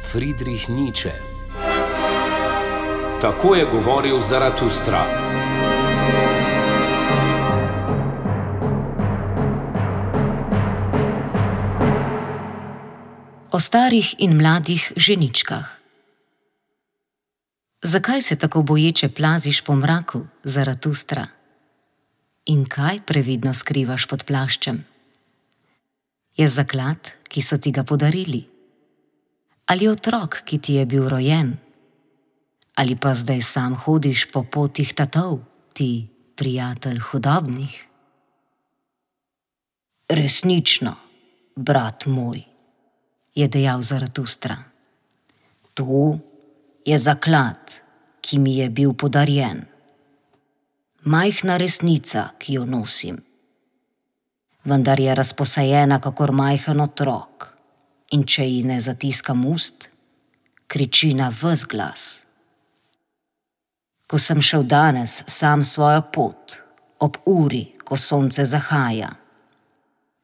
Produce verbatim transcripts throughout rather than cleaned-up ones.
Friedrich Nietzsche. Tako je govoril Zaratustra. O starih in mladih ženičkah. Zakaj se tako boječe plaziš po mraku, Zaratustra? In kaj previdno skrivaš pod plaščem? Je zaklad, ki so ti ga podarili? Ali otrok, ki ti je bil rojen? Ali pa zdaj sam hodiš po potih tatov, ti prijatelj hudobnih? Resnično, brat moj, je dejal Zaratustra. To je zaklad, ki mi je bil podarjen. Majhna resnica, ki jo nosim. Vendar je razposajena kakor majhen otrok, in če ji ne zatiskam ust, kriči na ves glas. Ko sem šel danes sam svojo pot, ob uri, ko sonce zahaja,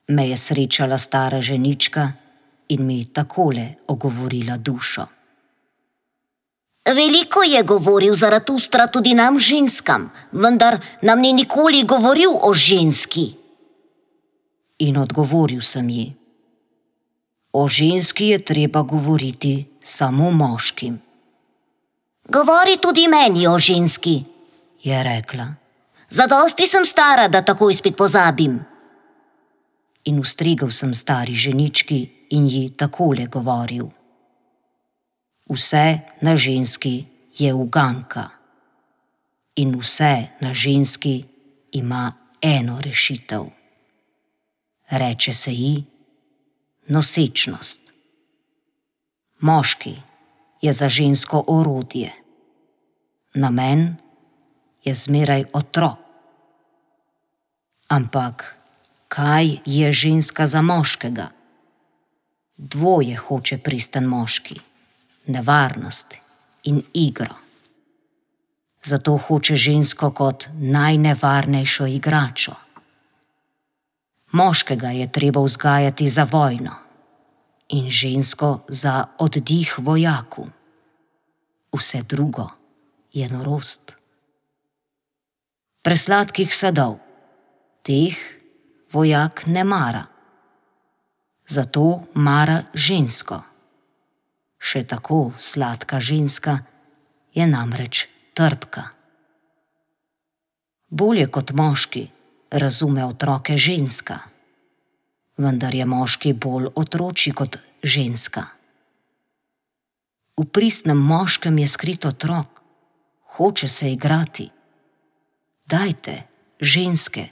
me je srečala stara ženička in mi takole ogovorila dušo. Veliko je govoril Zaratustra tudi nam ženskam, vendar nam ni nikoli govoril o ženski. In odgovoril sem ji: o ženski je treba govoriti samo moškim. Govori tudi meni o ženski, je rekla. Zadosti sem stara, da takoj spet pozabim. In ustregel sem stari ženički in ji takole govoril: vse na ženski je uganka in vse na ženski ima eno rešitev. Reče se ji nosečnost. Moški je za žensko orodje. Namen je zmeraj otrok. Ampak kaj je ženska za moškega? Dvoje hoče pristen moški: nevarnost in igro. Zato hoče žensko kot najnevarnejšo igračo. Moškega je treba vzgajati za vojno in žensko za oddih vojaku. Vse drugo je norost. Presladkih sadov, teh vojak ne mara. Zato mara žensko. Še tako sladka ženska je namreč trpka. Bolje kot moški razume otroke ženska, vendar je moški bolj otročji kot ženska. V pristnem moškem je skrit otrok, hoče se igrati. Dajte, ženske,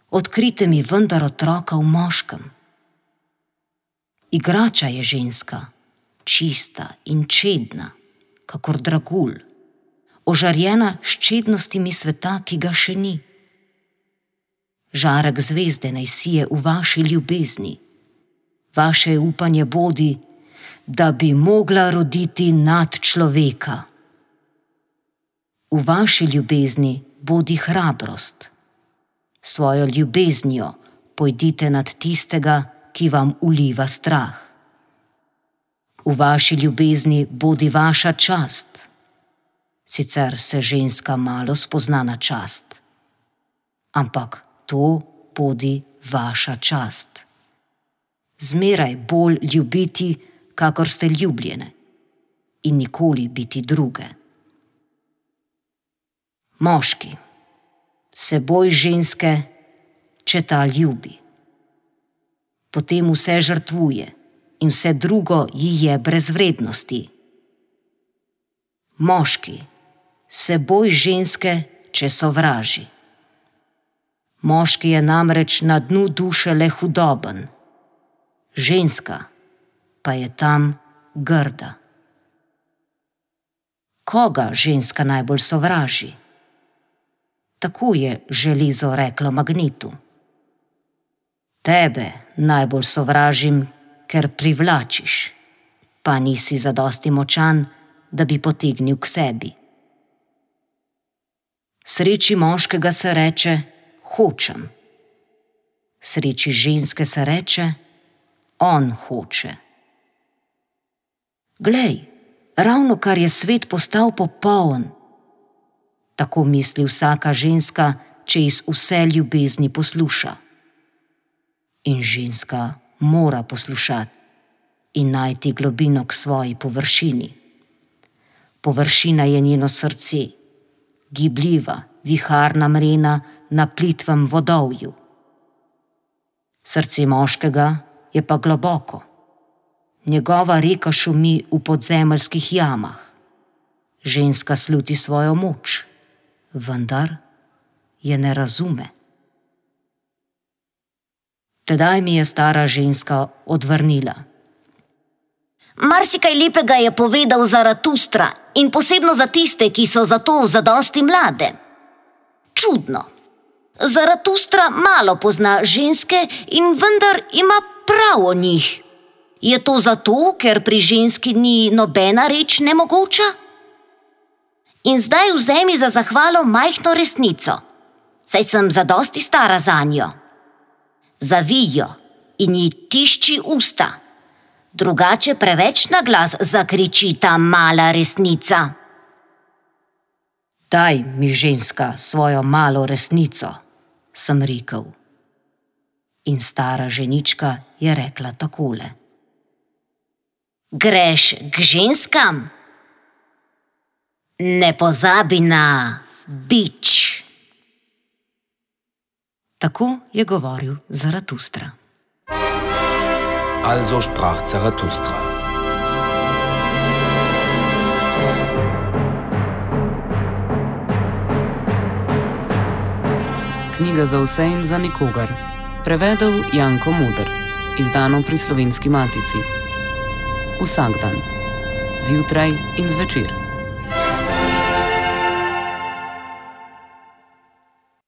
odkrite mi vendar otroka v moškem. Igrača je ženska, čista in čedna, kakor dragulj, ožarjena s čednostimi sveta, ki ga še ni. Žarek zvezde naj sije v vaši ljubezni. Vaše upanje bodi, da bi mogla roditi nad človeka. V vaši ljubezni bodi hrabrost. Svojo ljubeznijo pojdite nad tistega, ki vam uliva strah. V vaši ljubezni bodi vaša čast. Sicer se ženska malo spozna na čast, ampak to bodi vaša čast. Zmeraj bolj ljubiti, kakor ste ljubljene, in nikoli biti druge. Moški, se boj ženske, če ta ljubi. Potem vse žrtvuje in vse drugo ji je brez vrednosti. Moški, se boj ženske, če sovraži. Moški je namreč na dnu duše le hudoben, ženska pa je tam grda. Koga ženska najbolj sovraži? Tako je železo reklo magnetu. Tebe najbolj sovražim, ker privlačiš, pa nisi zadosti močan, da bi potegnil k sebi. Sreči moškega se reče hočem. Sreči ženske se reče on hoče. Glej, ravno kar je svet postal popoln. Tako misli vsaka ženska, če iz vse ljubezni posluša. In ženska mora poslušati in najti globino k svoji površini. Površina je njeno srce, gibljiva, viharna mrena na plitvem vodovju. Srce moškega je pa globoko. Njegova reka šumi v podzemeljskih jamah. Ženska sluti svojo moč, vendar je ne razume. Tedaj mi je stara ženska odvrnila. Marsikaj lepega je povedal Zaratustra in posebno za tiste, ki so zato zadosti mlade. Čudno. Zaratustra malo pozna ženske in vendar ima prav o njih. Je to zato, ker pri ženski ni nobena reč nemogoča? In zdaj vzemi za zahvalo majhno resnico, saj sem zadosti stara zanjo. Zavij jo in ji tišči usta, drugače preveč na glas zakriči ta mala resnica. Daj mi, ženska, svojo malo resnico, sem rekel. In stara ženička je rekla takole. Greš k ženskam? Ne pozabi na bič. Tako je govoril Zaratustra. Also sprach Zarathustra. Knjiga za vse in za nikogar. Prevedel Janko Moder. Izdano pri Slovenski matici. Vsak dan. Zjutraj in zvečer.